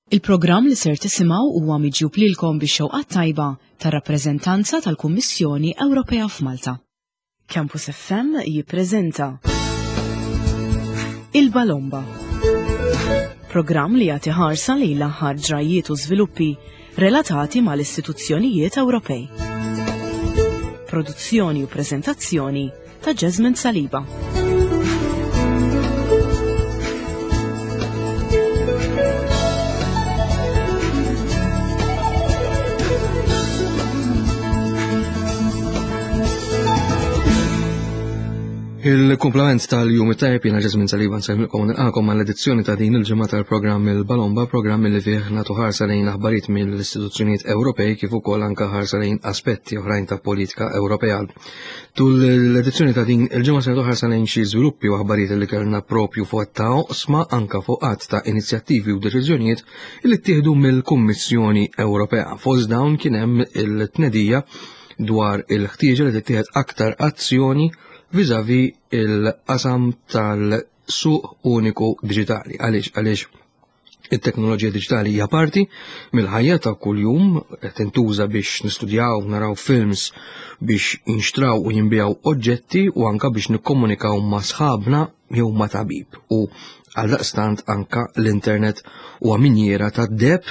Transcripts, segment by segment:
Il-programm li ser tisimgħu huwa miġjub lilkom bix-xewqat tajba tar-rappreżentanza tal-Kummissjoni Ewropea f'Malta. Campus FM jippreżenta Il-Balomba. Programm li jagħti ħarsa lejn l-aħħar ġrajjiet u żviluppi relatati mal-istituzzjonijiet Ewropej. Produzzjoni u preżentazzjoni ta' Jasmine Saliba. Il-kumplament tal-jum it-tajb jiena Ġesmin Saliba nsellmilkom u nilqakom għall-edizzjoni ta' din il-ġimgħa tal-programm il-Balomba, programm li fih nagħtu ħarsa lejn aħbarijiet mill-istituzzjonijiet Ewropej kif ukoll anke ħarsa lejn aspetti oħrajn ta' politika Ewropea. Tul l-edizzjoni ta' din il-ġimgħa se ħarsa lejn xi żviluppi u aħbarijiet li kellna propju fuq ta' oqsma anka fuq qatt ta' inizjattivi u deċiżjonijiet li ttieħdu mill-Kummissjoni Ewropea. Fost dawn kien hemm il-tnedija dwar il-ħtieġa li tittieħed aktar azzjoni viżavi il-qasam tal-suq uniku diġitali. Għaliex għaliex It-teknoloġija diġitali hija parti mill-ħajja ta' kuljum qed tintuża biex nistudjaw, naraw films, biex jinxtraw u jinbijaw oġġetti u anka biex nikkomunikaw ma' sħabna jew ma' tabib. U għaldaqstant anka l-internet huwa minjiera ta' deb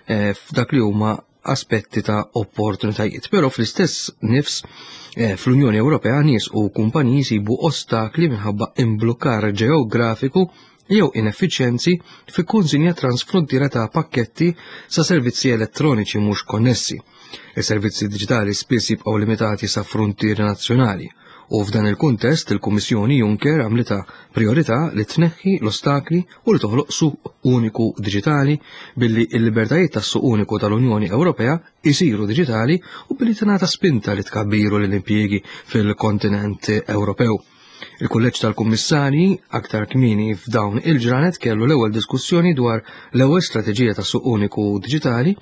eh, f'dak li huma aspetti ta' opportunitajiet. Però fl-istess nifs eh, fl-Unjoni Ewropea nies u kumpaniji jsibu ostakli minħabba imblukkar ġeografiku jew ineffiċjenzi fi kunsinja transfrontiera ta' pakketti sa' servizzi elettroniċi mhux konnessi. Is-servizzi diġitali spiss jibqgħu limitati sa' fruntieri nazzjonali u f'dan il-kuntest il-Kummissjoni Juncker għamlitha priorità li tneħħi l-ostakli u li toħloq suq uniku diġitali billi l-libertajiet tas-suq uniku tal-Unjoni Ewropea jsiru diġitali u billi tingħata spinta li tkabbiru lill-impjiegi fil-kontinent Ewropew. Il-Kulleġġ tal-Kummissarji aktar kmieni f'dawn il-ġranet kellu l-ewwel diskussjoni dwar l-ewwel strateġija ta' suq uniku diġitali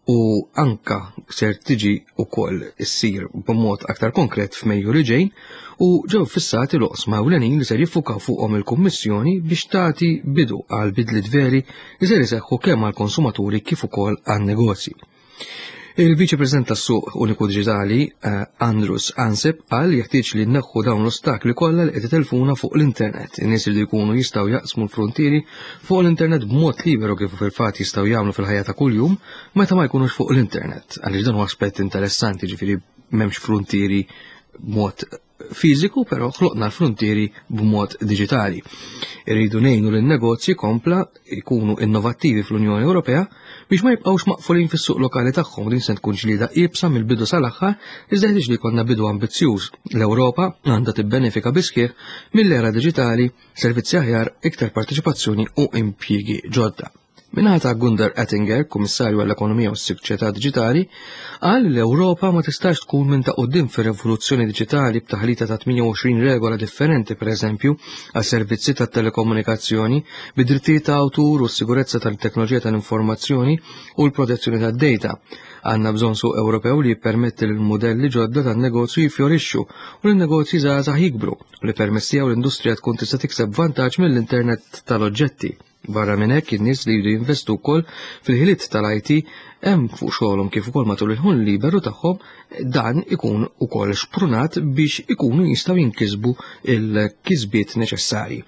u anka ser tiġi wkoll issir b'mod aktar konkret f'Mejju li ġej u ġew fissati l-oqsma ewlenin li ser jiffukaw fuqhom il-Kummissjoni biex tagħti bidu għal bidliet veri li ser iseħħu kemm għall-konsumaturi kif ukoll għan-negozji. Il-Viċi President tas-Suq Uniku Diġitali, eh, Andrus Ansip, qal jeħtieġ li nneħħu dawn l-ostakli kollha li qed itelfuna fuq l-internet. In-nies li jkunu jistgħu jaqsmu l-frontieri fuq l-internet b'mod liberu kif fil-fatt jistgħu jagħmlu fil-ħajja ta' kuljum meta ma jkunux fuq l-internet. Għaliex dan huwa aspett interessanti, ġifieri m'hemmx frontieri b'mod fiżiku, però ħloqna l-frontieri b'mod diġitali. Irridu ngħinu lin negozji kompla jkunu innovattivi fl-Unjoni Ewropea biex ma jibqgħux maqfulin fis-suq lokali tagħhom din se tkun ġlieda iebsa mill-bidu sal-aħħar iżda ħtieġ li jkollna bidu ambizzjuż. L-Ewropa għandha tibbenefika bisħieħ mill-era diġitali, servizzi aħjar, iktar parteċipazzjoni u impjiegi ġodda. Min-naħa ta' Gunder Ettinger, Kummissarju għall-Ekonomija u s-Soċjetà Diġitali, qal li l-Ewropa ma tistax tkun minn ta' quddiem fir-rivoluzzjoni diġitali b'taħlita ta' 28 regola differenti pereżempju għas-servizzi tat-telekomunikazzjoni, bid-drittijiet ta' awtur u s-sigurezza tal-teknoloġija tal-informazzjoni u l-protezzjoni tad-data. Għandna bżonn suq Ewropew li jippermetti lil mudelli ġodda tan-negozju jifjorixxu u li n-negozji żgħażagħ jikbru u li permezz tiegħu l-industrija tkun tista' tikseb vantaġġ mill-internet tal-oġġetti. Barra minn hekk, in-nies li jridu jinvestu wkoll fil-ħiliet tal-IT hemm fuq xogħolhom kif ukoll matul il-ħun liberu tagħhom dan ikun ukoll xprunat biex ikunu jistgħu jinkisbu il-kisbiet neċessarji.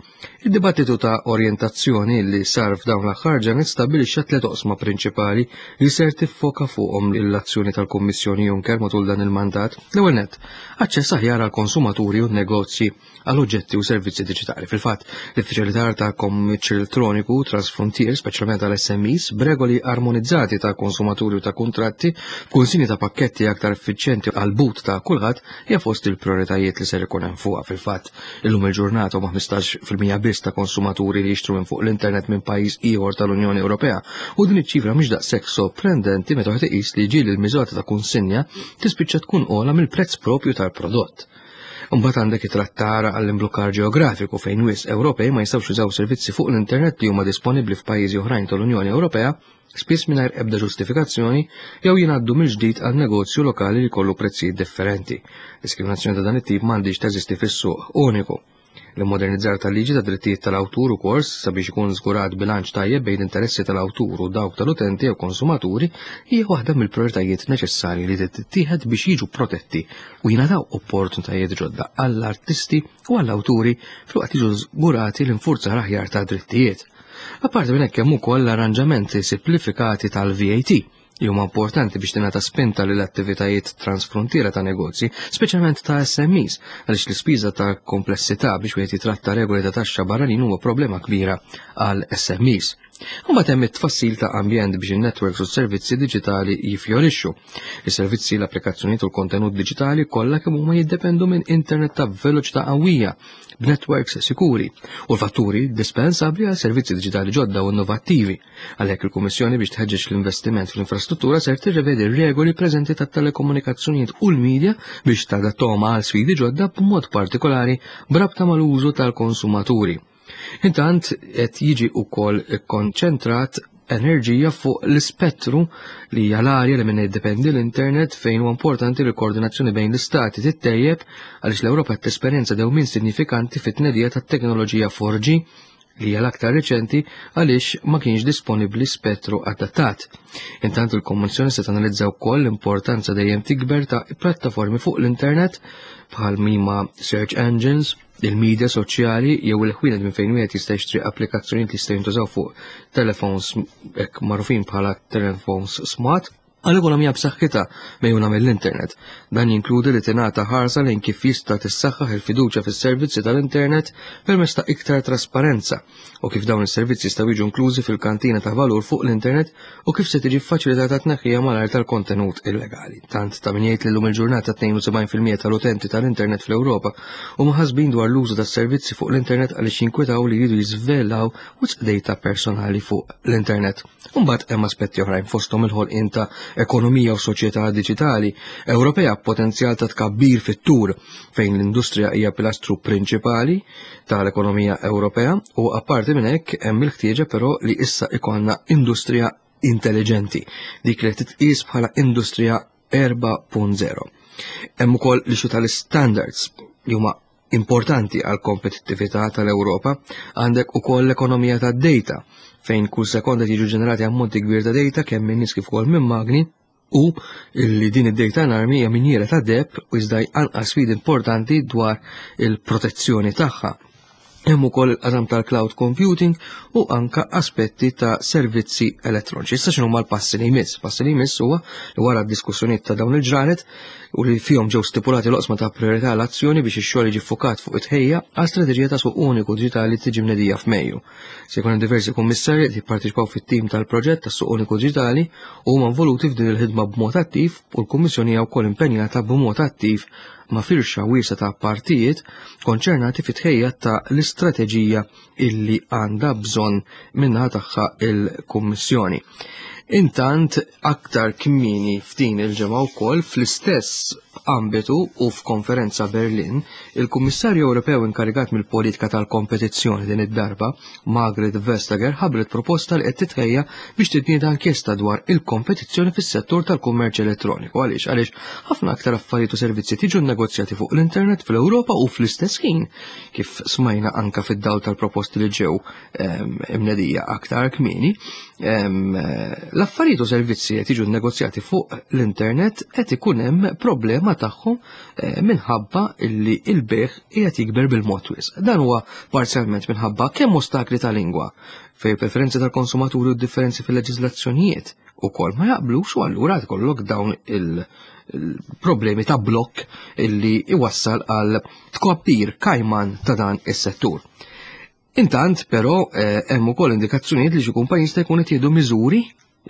Id-dibattitu ta' orjentazzjoni li sar f'dawn l-aħħar ġranet stabbilixxa tliet oqsma prinċipali li ser tiffoka fuqhom l-azzjoni tal-Kummissjoni Juncker matul dan il-mandat. L-ewwel nett, aċċess aħjar għall-konsumaturi u n-negozji għal oġġetti u servizzi diġitali. Fil-fatt, l-iffaċilitar ta' kummerċ elettroniku transfrontier, speċjalment għal SMEs, b'regoli armonizzati ta' konsumaturi u ta' kuntratti, b'kunsinji ta' pakketti aktar effiċjenti għal but ta' kulħadd, hija fost il-prioritajiet li ser ikun hemm fuqha. Fil-fatt, illum il-ġurnata huma 15% biss ta' konsumaturi li jixtru minn fuq l-internet minn pajjiż ieħor tal-Unjoni Ewropea u din iċ-ċifra mhix daqshekk sorprendenti meta wieħed iqis li ġieli l-miżata ta' kunsinja tispiċċa tkun ogħla mill-prezz propju tal-prodott. Imbagħad għandek it-trattar għall-imblukkar ġeografiku fejn wisq Ewropej ma jistgħux jużaw servizzi fuq l-internet li huma disponibbli f'pajjiżi oħrajn tal-Unjoni Ewropea spiss mingħajr ebda ġustifikazzjoni jew jingħaddu mill-ġdid għal negozju lokali li jkollu prezzijiet differenti. Diskriminazzjoni ta' dan it-tip m'għandhiex teżisti fis-suq uniku. L-immodernizzar tal-liġi ta' drittijiet tal-awtur ukoll sabiex ikun żgurat bilanċ tajjeb bejn interessi tal-awtur u dawk tal-utenti jew konsumaturi hija waħda mill-prijoritajiet neċessarji li tittieħed biex jiġu protetti u jingħataw opportunitajiet ġodda għall-artisti u għall-awturi filwaqt jiġu żgurati l-infurzar aħjar ta' drittijiet. Apparti minn hekk hemm ukoll l-arranġamenti simplifikati tal-VAT li huma importanti biex tingħata spinta lil attivitajiet transfrontiera ta' negozji, speċjalment ta' SMEs, għaliex l-ispiża ta' komplessità biex wieħed jitratta regoli ta' taxxa barranin huwa problema kbira għal SMEs. Imbagħad hemm it-tfassil ta' ambjent biex in-networks u s-servizzi diġitali jifjorixxu. Is-servizzi, l-applikazzjonijiet u l-kontenut diġitali kollha kemm huma jiddependu minn internet ta' veloċità qawwija b'networks sikuri u l-fatturi dispensabbli għal servizzi diġitali ġodda u innovattivi. Għalhekk il-Kummissjoni biex tħeġġeġ l-investiment fl-infrastruttura ser tirrevedi r-regoli preżenti tat-telekomunikazzjonijiet u l-medja biex tadattahom għal sfidi ġodda b'mod partikolari b'rabta mal-użu tal-konsumaturi. Intant qed jiġi wkoll ikkonċentrat enerġija fuq l-ispettru li hija l-arja li minnha jiddependi l-internet fejn huwa importanti li l-koordinazzjoni bejn l-istati tittejjeb għaliex l-Ewropa qed tesperjenza dewmien sinifikanti fit-tnedija tat-teknoloġija 4G li hija l-aktar riċenti għaliex ma kienx disponibbli spettru adattat. Intant il-Kommissjoni se tanalizza wkoll l-importanza dejjem tikber ta' plattaformi fuq l-internet bħal mima search engines, il-media soċjali jew il-ħwienet minn fejn wieħed jista' jixtri applikazzjonijiet li jistgħu jintużaw fuq telefons hekk magħrufin bħala telefons smart għal ekonomija b'saħħitha mejjuna mill-internet. Dan jinkludi li tingħata ħarsa lejn kif jista' tissaħħaħ il-fiduċja fis-servizzi tal-internet permezz ta' iktar trasparenza u kif dawn is-servizzi jistgħu jiġu inklużi fil-kantina ta' valur fuq l-internet u kif se tiġi ffaċilitata tneħħija malajr tal-kontenut illegali. Tant ta' min jgħid li llum il-ġurnata 72% tal-utenti tal-internet fl-Ewropa huma ħasbin dwar l-użu tas-servizzi fuq l-internet għaliex jinkwetaw li jridu jiżvelaw wisq data personali fuq l-internet. Imbagħad hemm aspetti oħrajn fosthom il-ħolqien ta' ekonomija u soċjetà diġitali Ewropea b'potenzjal ta' tkabbir fit-tur fejn l-industrija hija pilastru prinċipali tal-ekonomija Ewropea u apparti minn hekk hemm il-ħtieġa però li issa ikollna industrija intelligenti, dik li titqis bħala industrija 4.0. Hemm ukoll l-issue tal-standards li huma importanti għal kompetittività tal-Ewropa, għandek ukoll l-ekonomija tad-data fejn kull sekonda jiġu ġenerati ammonti kbir ta' data kemm minn nies kif ukoll minn magni u li din id-data enormi hija minjiera ta' deb u iżda anqas sfidi importanti dwar il-protezzjoni tagħha. Hemm ukoll il-qasam tal-cloud computing u anka aspetti ta' servizzi elettroniċi. Issa x'inhu l-passi li jmiss? Passi li jmiss huwa li wara d-diskussjonijiet ta' dawn il-ġranet u li fihom ġew stipulati l-oqsma ta' priorità l-azzjoni biex ix-xogħol jiġi ffukat fuq it-tħejja għal strateġija ta' suq uniku diġitali tiġi mnedija f'Mejju. Se jkun hemm diversi kummissarji li jipparteċipaw fit-tim tal-proġett tas-suq uniku diġitali u huma involuti f'din il-ħidma b'mod attiv u l-Kummissjoni hija wkoll impenjata b'mod attiv ma' firxa wiesgħa ta' partijiet konċernati fit-tħejja ta' l-istrateġija illi għandha bżonn minnaħa tagħha il-Kummissjoni. Intant aktar kmieni f'din il-ġimgħa wkoll fl-istess ambitu u f'konferenza Berlin, il-Kummissarju Ewropew inkarigat mill-politika tal-kompetizzjoni din id-darba, Margaret Vestager, ħabbret proposta li qed titħejja biex titnieda inkjesta dwar il-kompetizzjoni fis-settur tal-kummerċ elettroniku. Għaliex? Għaliex ħafna aktar affarijiet u servizzi tiġu nnegozjati fuq l-internet fl-Ewropa u fl-istess ħin, kif smajna anka fid-dawl tal-proposti li ġew imnedija aktar kmieni, l-affarijiet u servizzi qed jiġu nnegozjati fuq l-internet qed ikun hemm problema tagħhom minħabba illi il-bejgħ qiegħed jikber bil-mod wisq. Dan huwa parzjalment minħabba kemm ostakli ta' lingwa fejn preferenzi tal-konsumaturi u differenzi fil-leġiżlazzjonijiet ukoll ma jaqblux u allura tkollok dawn il-problemi ta' blokk illi iwassal għal tkoppir kajman ta' dan is-settur. Intant, però, eh, hemm ukoll indikazzjonijiet li xi kumpaniji jista' jkun qed jieħdu miżuri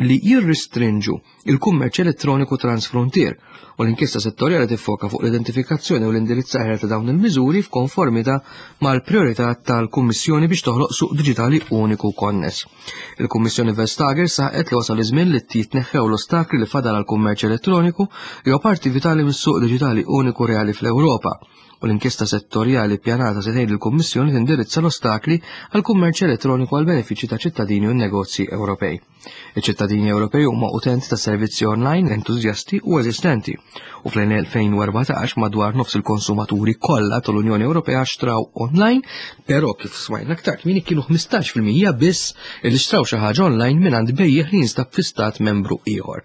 li jirristrinġu il-kummerċ elettroniku transfrontier u l-inkjesta settorjali tiffoka fuq l-identifikazzjoni u l-indirizzar ta' dawn il-miżuri f'konformità mal-priorità tal-Kummissjoni biex toħloq suq diġitali uniku konness. Il-Kummissjoni Vestager saħqet li wasal iż-żmien li jitneħħew l-ostakli li fadal għall-kummerċ elettroniku li huwa parti vitali mis-suq diġitali uniku reali fl-Ewropa. u l-inkjesta settorjali ppjanata se tgħin lill-Kummissjoni tindirizza l-ostakli għall-kummerċ elettroniku għall-benefiċċju ta' ċittadini u n-negozji Ewropej. Iċ-ċittadini Ewropej huma utenti ta' servizzi online entużjasti u eżistenti u fl-2014 madwar nofs il-konsumaturi kollha tal-Unjoni Ewropea xtraw online, però kif smajna aktar kmieni kienu 15% biss li xtraw xi ħaġa online mingħand bejjiegħ li jinstab fi stat membru ieħor.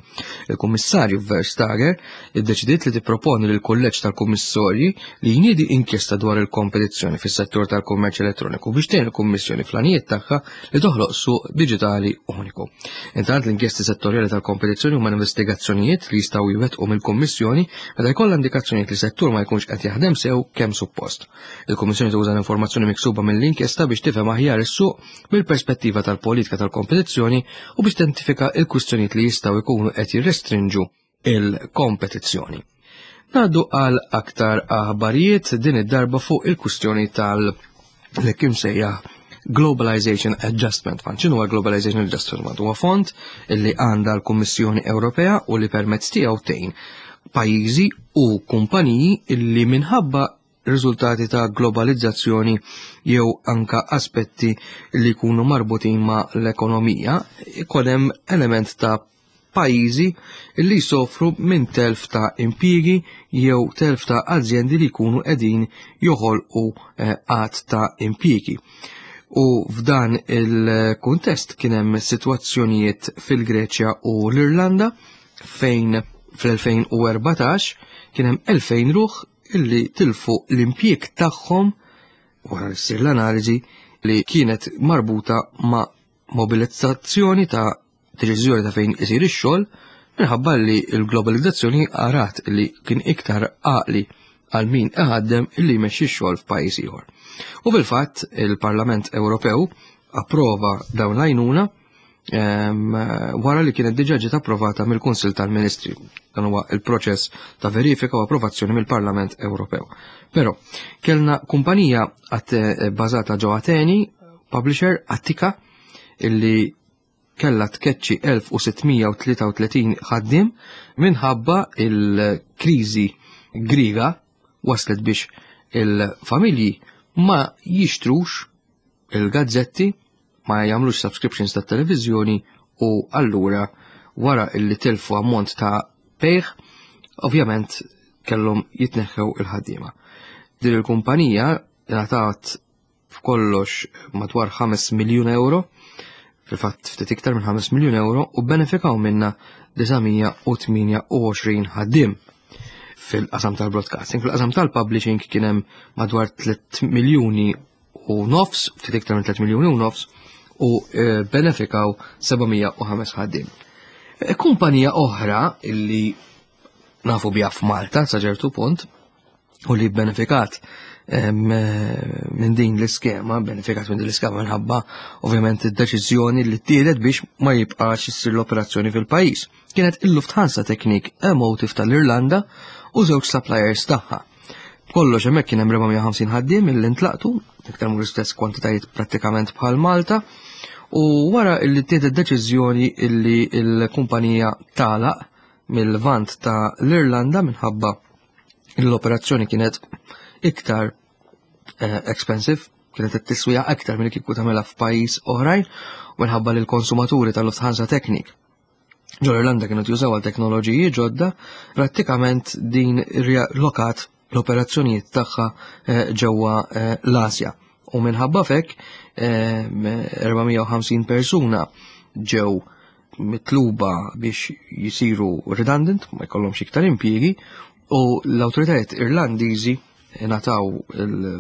Il-Kummissarju Verstager iddeċidiet li tipproponi lil kulleġġ tal-Kummissorji li jniedi inkjesta dwar il-kompetizzjoni fis-settur tal-kummerċ elettroniku biex tgħin il-Kummissjoni fl-għanijiet tagħha li toħloq suq diġitali uniku. Intant l-inkjesti settorjali tal-kompetizzjoni huma investigazzjonijiet li jistgħu jwettqu mill-Kummissjoni meta jkollha indikazzjonijiet li settur ma jkunx qed jaħdem sew kemm suppost. Il-Kummissjoni tuża l-informazzjoni miksuba mill-inkjesta biex tifhem aħjar is-suq mill-perspettiva tal-politika tal-kompetizzjoni u biex tidentifika l-kwistjonijiet li jistgħu jkunu qed jirrestrinġu il-kompetizzjoni. Ngħaddu għal aktar aħbarijiet din id-darba fuq il-kwistjoni tal li kim sejjaħ Globalization Adjustment Fund. X'inhu Globalization Adjustment Fund? Huwa fond li għandha l-Kummissjoni Ewropea u li permezz tiegħu tgħin pajjiżi u kumpaniji illi minħabba riżultati ta' globalizzazzjoni jew anka aspetti li jkunu marbutin ma' l-ekonomija, ikun hemm element ta' pajjiżi li jsofru minn telf ta' impjiegi jew telf ta' azjendi li jkunu qegħdin joħolqu eh, għadd ta' impjiegi. U f'dan il-kuntest kien hemm sitwazzjonijiet fil-Greċja u l-Irlanda fejn fl-2014 kien hemm 2000 ruħ illi tilfu l-impjieg tagħhom wara li ssir l-analiżi li kienet marbuta ma' mobilizzazzjoni ta' deċiżjoni ta' fejn isir ix-xogħol minħabba li l-globalizzazzjoni għarat li kien iktar għaqli għal min iħaddem illi jmexxi x-xogħol f'pajjiż ieħor. U fil-fatt il-Parlament Ewropew approva dawn l-għajnuna wara li kienet diġà ġiet approvata mill-Kunsill tal-Ministri. Dan huwa il-proċess ta' verifika u approvazzjoni mill-Parlament Ewropew. Però kellna kumpanija eh, bażata ġo Ateni, publisher Attika, illi kellha tkeċċi 1633 ħaddiem minħabba il-kriżi Griega waslet biex il-familji ma jixtrux il-gazzetti, ma jagħmlux subscriptions tat-televiżjoni u allura wara illi tilfu ammont ta' bejgħ, ovvjament kellhom jitneħħew il-ħaddiema. Din il-kumpanija ngħatat f'kollox madwar 5 miljun euro, fil-fatt ftit iktar minn 5 miljun euro u benefikaw minna 928 ħaddiem fil-qasam tal-broadcasting. Fil-qasam tal-publishing kien hemm madwar 3 miljuni u nofs, ftit iktar minn 3 miljuni u nofs, u eh, benefikaw 705 ħaddiem. Eh, kumpanija oħra illi nafu biha f'Malta sa ċertu punt u li benefikat eh, minn din l-iskema, benefikat minn din l-iskema minħabba ovvjament id-deċiżjoni li ttieħdet biex ma jibqax issir l-operazzjoni fil-pajjiż. Kienet il-Lufthansa Technik Emotive tal-Irlanda u żewġ suppliers tagħha. B'kollox hemmhekk kien hemm 450 ħaddiem illi ntlaqtu, iktar mhux l-istess kwantitajiet prattikament bħal Malta, u wara illi ttieħdet deċiżjoni illi l-kumpanija tagħlaq mill-Lvant ta' l-Irlanda minħabba l-operazzjoni kienet iktar eh, expensive, kienet qed tiswija aktar milli kieku tagħmilha f'pajjiż oħrajn u minħabba li l-konsumaturi tal-Lufthansa Technik ġol Irlanda kienu jużaw għal teknoloġiji ġodda, prattikament din lokat l-operazzjonijiet tagħha eh, ġewwa eh, l-Asja. U minħabba fek 450 eh, persuna ġew mitluba biex jisiru redundant, ma jkollhomx iktar impjiegi, u l-awtoritajiet Irlandiżi ngħataw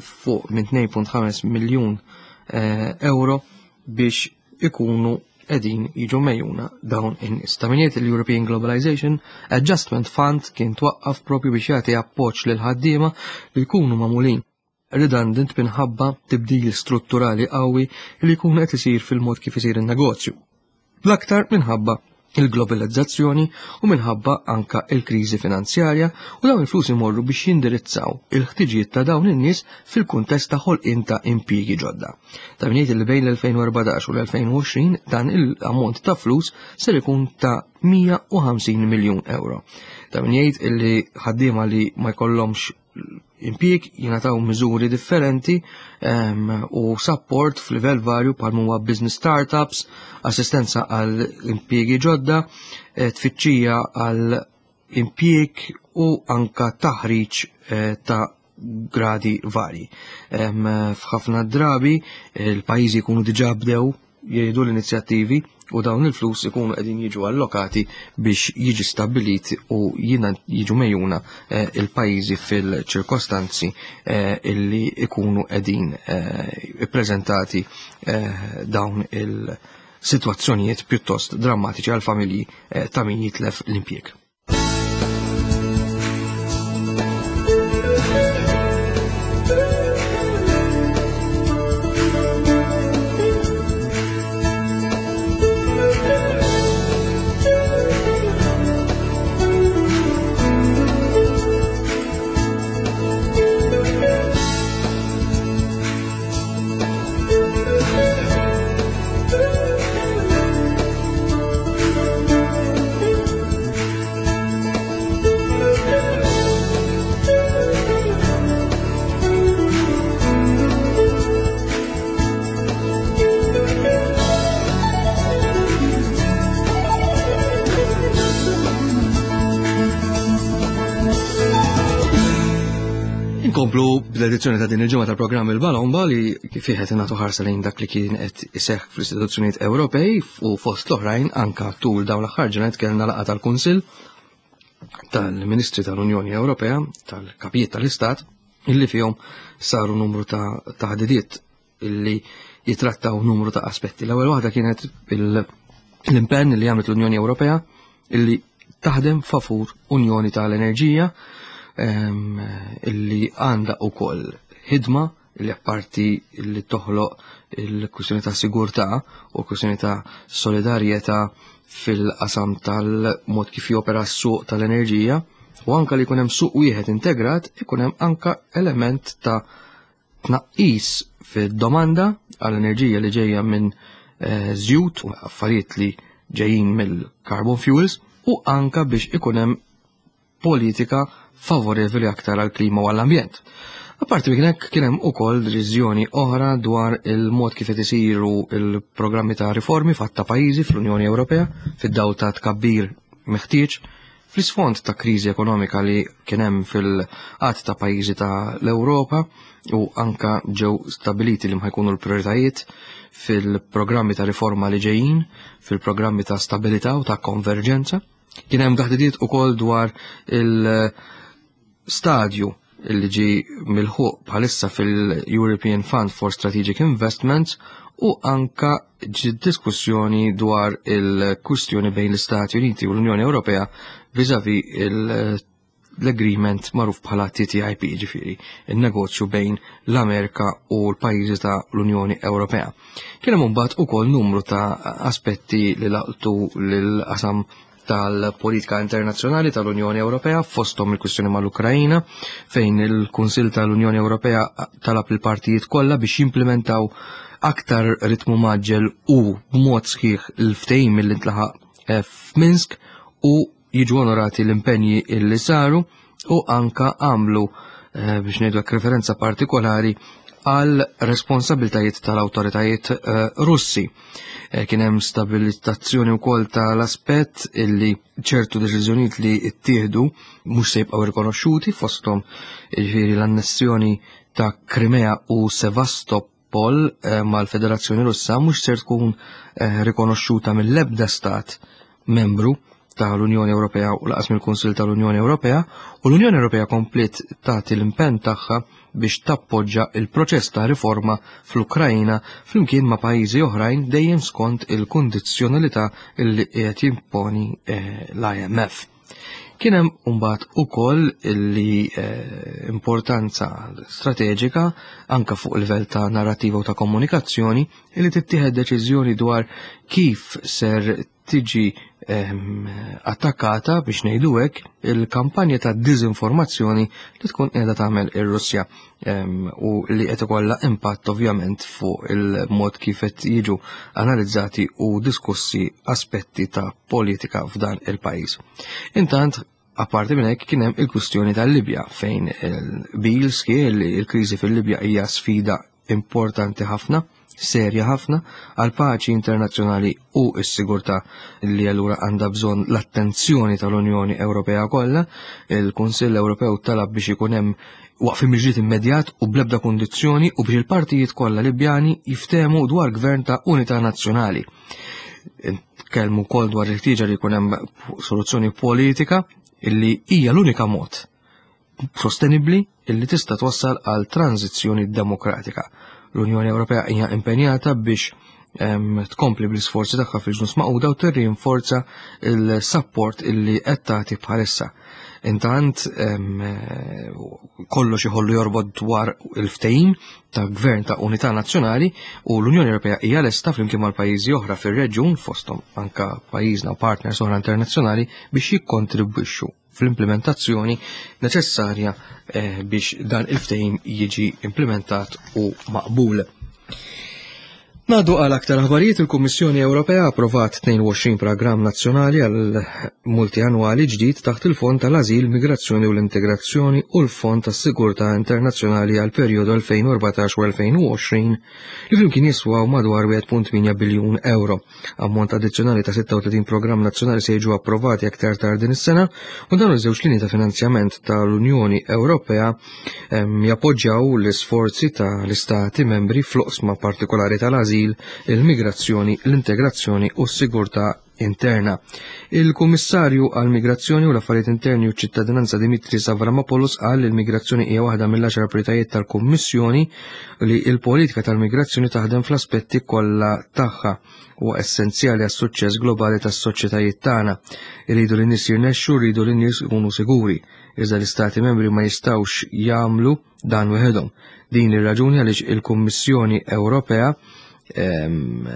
fuq minn 2.5 miljun euro biex ikunu qegħdin jiġu mejjuna dawn in-nies. Ta' min jgħid il-European Globalization Adjustment Fund kien twaqqaf propju biex jagħti appoġġ lil ħaddiema li jkunu magħmulin redundant minħabba tibdil strutturali qawwi li jkun qed isir fil-mod kif isir in-negozju. L-aktar minħabba il-globalizzazzjoni u minħabba anka il-kriżi finanzjarja u dawn il-flus imorru biex jindirizzaw il-ħtiġijiet ta' dawn in-nies fil-kuntest ta' ħolqien ta' impjiegi ġodda. Ta' min jgħid li bejn l-2014 u l-2020 dan il-ammont ta' flus ser ikun ta' 150 miljun euro. Ta' min jgħid li ħaddiema li ma jkollhomx impjieg, jingħataw miżuri differenti u support f'livell varju bħal huwa business startups, assistenza għal impjiegi ġodda, eh, tfittxija għal impjieg u anka taħriġ eh, ta' gradi varji. F'ħafna drabi il-pajjiżi jkunu diġà bdew jgħidu l-inizjattivi u dawn il-flus ikunu qegħdin jiġu allokati biex jiġi stabbilit u jiġu mejjuna eh, il-pajjiżi fil-ċirkostanzi eh, illi ikunu qegħdin eh, ippreżentati dawn il-sitwazzjonijiet pjuttost drammatiċi għal familji ta' min jitlef l-impjieg. Inkomplu bl-edizzjoni ta' din il-ġimgħa tal-programm il-Balomba li kif qed nagħtu ħarsa lejn dak li kien qed iseħħ fl-istituzzjonijiet Ewropej u fost l-oħrajn anka tul dawn l-aħħar ġranet kellna laqgħa tal-Kunsill tal-Ministri tal-Unjoni Ewropea, tal-Kapijiet tal-Istat, illi fihom saru numru ta' taħdidiet illi jitrattaw numru ta' aspetti. L-ewwel waħda kienet l-impenn li għamlet l-Unjoni Ewropea illi taħdem favur Unjoni tal-Enerġija ehm, illi għandha wkoll ħidma li apparti li toħloq il-kwistjoni ta' sigurtà u kwistjoni ta' solidarjetà fil-qasam tal-mod kif jopera s-suq tal-enerġija u anka li jkun hemm suq wieħed integrat ikun hemm anka element ta' tnaqqis fid-domanda għall-enerġija li ġejja minn eh, żjut u affarijiet li ġejjin mill-carbon fuels u anka biex ikun hemm politika favorevoli aktar għall-klima u għall-ambjent. Apparti minn hekk kien hemm ukoll deċiżjoni oħra dwar il-mod kif qed isiru il-programmi ta' riformi fatta pajjiżi fl-Unjoni Ewropea fid-dawl ta' tkabbir meħtieġ fl-isfond ta' kriżi ekonomika li kien hemm fil-qatt ta' pajjiżi ta' l-Ewropa u anka ġew stabiliti li jkunu l-prioritajiet fil-programmi ta' riforma li ġejjin, fil-programmi ta' stabilità u ta' konverġenza. Kien hemm taħdidiet ukoll dwar il-stadju li ġi milħuq bħalissa fil-European Fund for Strategic Investments u anka ġi diskussjoni dwar il-kwistjoni bejn l-Istati Uniti u l-Unjoni Ewropea vizavi l-agreement magħruf bħala TTIP, ġifieri il-negozju bejn l-Amerika u l-pajjiżi ta' l-Unjoni Ewropea. Kien hemm imbagħad ukoll numru ta' aspetti li laqtu lil-qasam tal-politika internazzjonali tal-Unjoni Ewropea fosthom il-kwistjoni mal-Ukrajina fejn il-Kunsill tal-Unjoni Ewropea talab il-partijiet kollha biex jimplementaw aktar ritmu maġġel u b'mod sħiħ il-ftehim li ntlaħaq eh, f'Minsk u jiġu onorati l-impenji illi saru u anka għamlu eh, biex ngħidu referenza partikolari għal responsabiltajiet tal-awtoritajiet eh, Russi. Eh, kien hemm stabilizzazzjoni wkoll tal-aspett illi ċertu deċiżjonijiet li ttieħdu mhux se jibqgħu rikonoxxuti fosthom jiġifieri l-annessjoni ta' Krimea u Sevastopol Pol eh, mal-Federazzjoni Russa mhux ser tkun eh, rikonoxxuta mill-ebda stat membru tal-Unjoni Ewropea u laqas mill-Kunsill tal-Unjoni Ewropea u l-Unjoni Ewropea kompliet tagħti l-impenn tagħha biex tappoġġa il-proċess ta' riforma fl-Ukrajna flimkien ma' pajjiżi oħrajn dejjem skont il-kundizzjonalità li qiegħed jimponi eh, l-IMF. Kien hemm imbagħad ukoll li eh, importanza strateġika anka fuq livell ta' narrativa u ta' komunikazzjoni li tittieħed deċiżjoni dwar kif ser tiġi ehm, attakkata biex ngħidu hekk il-kampanja ta' diżinformazzjoni li tkun qiegħda tagħmel ir-Russja ehm, u li qed ikollha impatt ovvjament fuq il-mod kif qed jiġu analizzati u diskussi aspetti ta' politika f'dan il-pajjiż. Intant, Apparti minn hekk kien hemm il-kwistjoni tal-Libja fejn il-bil sħiħ li l-kriżi fil-Libja hija sfida importanti ħafna, serja ħafna għal paċi internazzjonali u s-sigurtà li allura għandha bżonn l-attenzjoni tal-Unjoni Ewropea kollha. Il-Kunsill Ewropew talab biex ikun hemm waqfien mill-ġlied immedjat u bl-ebda kundizzjoni u biex il-partijiet kollha Libjani jiftehmu dwar gvern ta' unità nazzjonali. Tkellmu wkoll dwar il-ħtieġa li jkun hemm soluzzjoni politika illi hija l-unika mod sostenibbli illi tista' twassal għal tranzizzjoni demokratika. L-Unjoni Ewropea hija impenjata biex tkompli bl-isforzi tagħha fil-ġnus maquda u tirrinforza il-support illi qed tagħti bħalissa. Intant kollox iħollu jorbot dwar il-ftehim ta' gvern ta' unità nazzjonali u l-Unjoni Ewropea hija lesta flimkien mal-pajjiżi oħra fir-reġjun fosthom anka pajjiżna u partners oħra internazzjonali biex jikkontribwixxu fl-implementazzjoni neċessarja eh, biex dan il-ftehim jiġi implementat u maqbul. Nadu għal aktar aħbarijiet il-Kummissjoni Ewropea approvat 22 programm nazzjonali għal multianwali ġdid taħt il-Fond tal-Ażil, Migrazzjoni u l-Integrazzjoni u l-Fond tas-Sigurtà Internazzjonali għal perjodu 2014 u 2020 li flimkien jiswaw madwar 1.8 biljun euro. Ammont addizzjonali ta' 36 programm nazzjonali se jiġu approvati aktar tard din is-sena u dawn iż-żewġ linji ta' finanzjament tal-Unjoni Ewropea jappoġġjaw l-isforzi ta' l-istati membri fl-oqsma partikolari tal-ażil, il-migrazzjoni, l-integrazzjoni u s-sigurtà interna. Il-Kummissarju għall-Migrazzjoni u l-Affarijiet Interni u ċ-Ċittadinanza Dimitris Avramopoulos qal li l-migrazzjoni hija waħda mill-għaxar prijoritajiet tal-Kummissjoni li l-politika tal-migrazzjoni taħdem fl-aspetti kollha tagħha huwa essenzjali għas-suċċess globali tas-soċjetajiet tagħna. Irridu li nies jirnexxu, rridu li nies ikunu siguri. Iżda l-Istati membri ma jistgħux jagħmlu dan weħedhom. Din ir-raġuni għaliex il-Kummissjoni Ewropea ehm,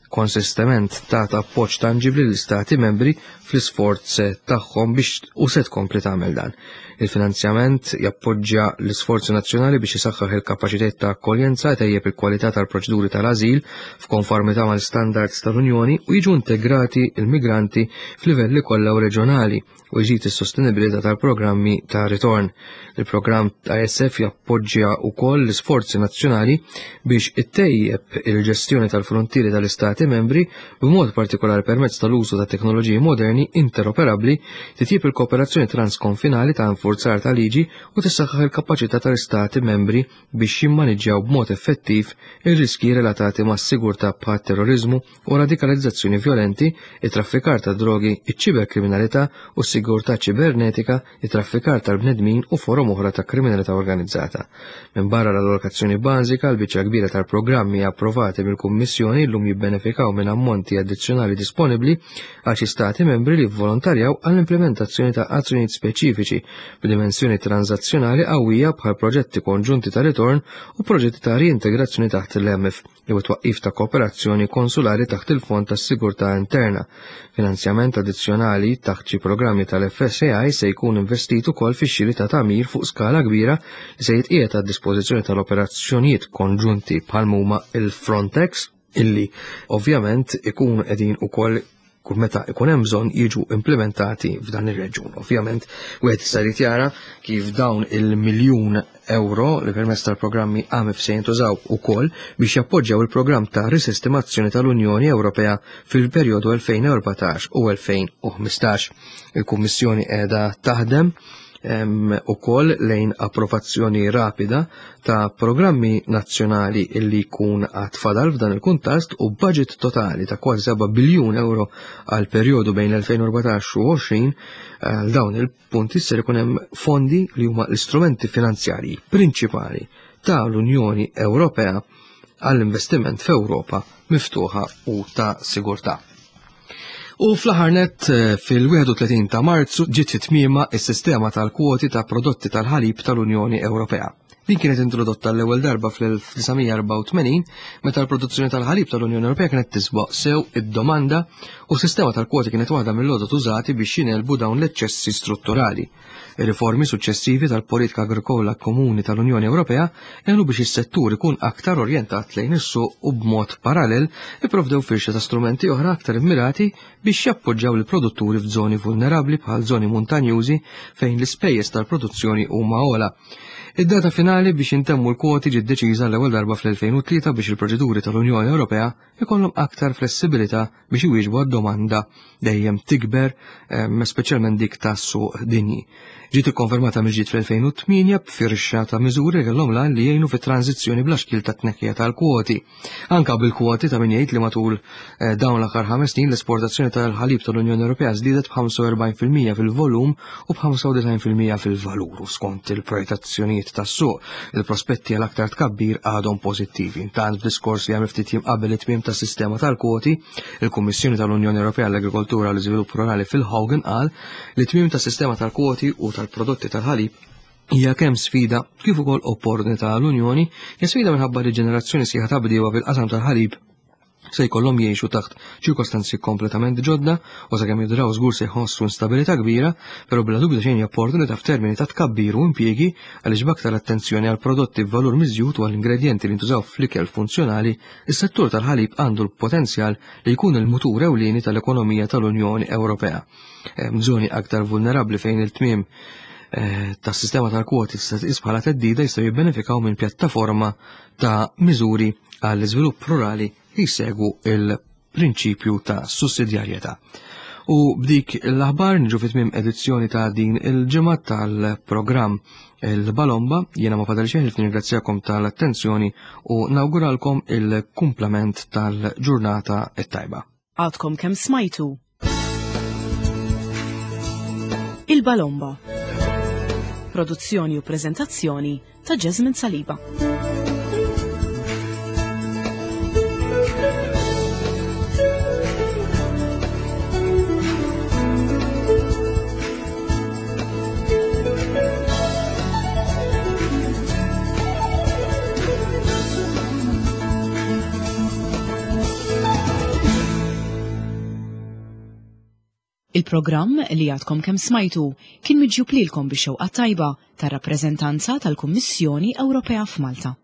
konsistement tat appoġġ tanġibli l-istati membri fl-isforz tagħhom biex u se tkompli tagħmel dan. Il-finanzjament jappoġġja l-isforzi nazzjonali biex isaħħaħ il-kapaċitajiet ta' akkoljenza, tejjeb il-kwalità tal-proċeduri tal-ażil f'konformità mal-standards tal-Unjoni u jiġu integrati l-migranti f'livelli kollha u reġjonali u jżid is-sostenibilità tal-programmi ta' ritorn. Il-programm ta' ISF jappoġġja wkoll l-isforzi nazzjonali biex ittejjeb il-ġestjoni tal-frontieri tal-Istati membri b'mod partikolari permezz tal-użu ta' teknoloġiji moderni interoperabbli, titjib il-kooperazzjoni transkonfinali ta' infurzar ta' liġi u tissaħħaħ il-kapaċità tal-Istati membri biex jimmaniġġjaw b'mod effettiv ir-riskji relatati mas-sigurtà bħat-terroriżmu u radikalizzazzjoni vjolenti, it-traffikar ta' drogi, iċ-ċiberkriminalità u s-sigurtà ċibernetika, it-traffikar tal-bnedmin u forom oħra ta' kriminalità organizzata. Minbarra l-allokazzjoni bażika, l-biċċa kbira tal-programmi approvati mill-Kummissjoni llum jibbenefikaw minn ammonti addizzjonali disponibbli għal xi stati membri li vvolontarjaw għall-implementazzjoni ta' azzjonijiet speċifiċi b'dimensjoni tranżazzjonali qawwija bħal proġetti konġunti ta' ritorn u proġetti ta' riintegrazzjoni taħt l-EMIF. jew it-twaqqif ta' kooperazzjoni konsulari taħt il-Fond tas-Sigurtà Interna. Finanzjament addizzjonali taħt xi programmi tal-FSAI se jkun investit ukoll fix-xiri ta' tagħmir fuq skala kbira li se jitqiegħed għad-dispożizzjoni tal-operazzjonijiet konġunti bħal huma il-Frontex illi ovvjament ikunu qegħdin ukoll kull meta ikun hemm bżonn jiġu implementati f'dan ir-reġjun. Ovvjament, wieħed jista' jrid jara kif dawn il-miljun euro li permezz tal-programmi AMIF se jintużaw ukoll biex jappoġġjaw il-programm ta' risistemazzjoni tal-Unjoni Ewropea fil-perjodu 2014 u 2015. Il-Kummissjoni qiegħda taħdem ukoll lejn approvazzjoni rapida ta' programmi nazzjonali illi jkun għad fadal f'dan il-kuntest u budget totali ta' kważi 7 biljun euro għal perjodu bejn l-2014 u 20 għal dawn il-punti ser ikun hemm fondi li huma l-istrumenti finanzjarji prinċipali ta' l-Unjoni Ewropea għall-investiment f'Ewropa miftuħa u ta' sigurtà. U fl-aħħar nett eh, fil-31 ta' Marzu ġiet fit-tmiema s-sistema tal-kwoti ta' prodotti tal-ħalib tal-Unjoni Ewropea. Din kienet introdotta l-ewwel darba fl-1984 meta l-produzzjoni tal-ħalib tal-Unjoni Ewropea kienet tisboq sew id-domanda u s-sistema tal-kwoti kienet waħda mill-għodod użati biex jingħelbu dawn l-eċċessi strutturali. Ir-riformi suċċessivi tal-politika agrikola komuni tal-Unjoni Ewropea għenu biex is-settur ikun aktar orjentat lejn is-suq u b'mod parallel ipprovdew firxa ta' strumenti oħra aktar immirati biex jappoġġjaw lill-produtturi f'żoni vulnerabbli bħal żoni muntanjużi fejn l-ispejjeż tal-produzzjoni huma ogħla. Id-data finali biex jintemmu l-kwoti ġiet deċiża l-ewwel darba fl-2003 biex il-proċeduri tal-Unjoni Ewropea ikollhom aktar flessibilità biex iwieġbu għad-domanda dejjem tikber, speċjalment dik tas-suq dinji. Ġiet ikkonfermata mill-ġdid fl-2008 b'firxa ta' miżuri li kellhom l-għan li jgħinu fit-tranżizzjoni bla xkiel tat-tneħħija tal-kwoti. Anka bil-kwoti ta' min jgħid li matul eh, dawn l-aħħar ħames snin l-esportazzjoni tal-ħalib tal-Unjoni Ewropea żdiedet b'45% fil-volum u b'95% fil-valur u skont il-projettazzjonijiet tas-suq, il-prospetti għal aktar tkabbir għadhom pożittivi. Intant f'diskors li għamel ftit jiem qabel it-tmiem tas-sistema tal-kwoti, il-Kummissjoni tal-Unjoni Ewropea għall-Agrikoltura u l-Iżvilupp Rurali Phil Hogan qal li tmiem tas-sistema tal-kwoti u tal-prodotti tal-ħalib hija kemm sfida kif ukoll opportunità għall-Unjoni, hija sfida minħabba li ġenerazzjoni sħiħa ta' bdiewa fil-qasam tal-ħalib se jkollhom jgħixu taħt ċirkostanzi kompletament ġodda u sakemm jidraw żgur se jħossu instabilità kbira, però bla dubju xejn opportunità f'termini ta' tkabbir u impjiegi għaliex b'aktar attenzjoni għal prodotti b'valur miżjud u għal ingredjenti li ntużaw fl-ikel funzjonali, is-settur tal-ħalib għandu l-potenzjal li jkun il-mutur ewlieni tal-ekonomija tal-Unjoni Ewropea. Żoni aktar vulnerabbli fejn il-tmiem eh, tas-sistema tal-kwoti tista' tqis bħala theddida jistgħu jibbenefikaw minn pjattaforma ta' miżuri għall-iżvilupp rurali li jsegwu il-prinċipju ta' sussidjarjetà. U b'dik l-aħbar niġu fit tmiem edizzjoni ta' din il-ġimgħa tal-programm il-Balomba, jiena ma fadal xejn li nirringrazzjakom tal-attenzjoni u nawguralkom il-kumplament tal-ġurnata t-tajba. Għadkom kemm smajtu Il-Balomba. Produzzjoni u preżentazzjoni ta' Jasmine Saliba. Il-programm li għadkom kemm smajtu kien miġjub lilkom bix-xewqa tajba tar-rappreżentanza tal-Kummissjoni Ewropea f'Malta.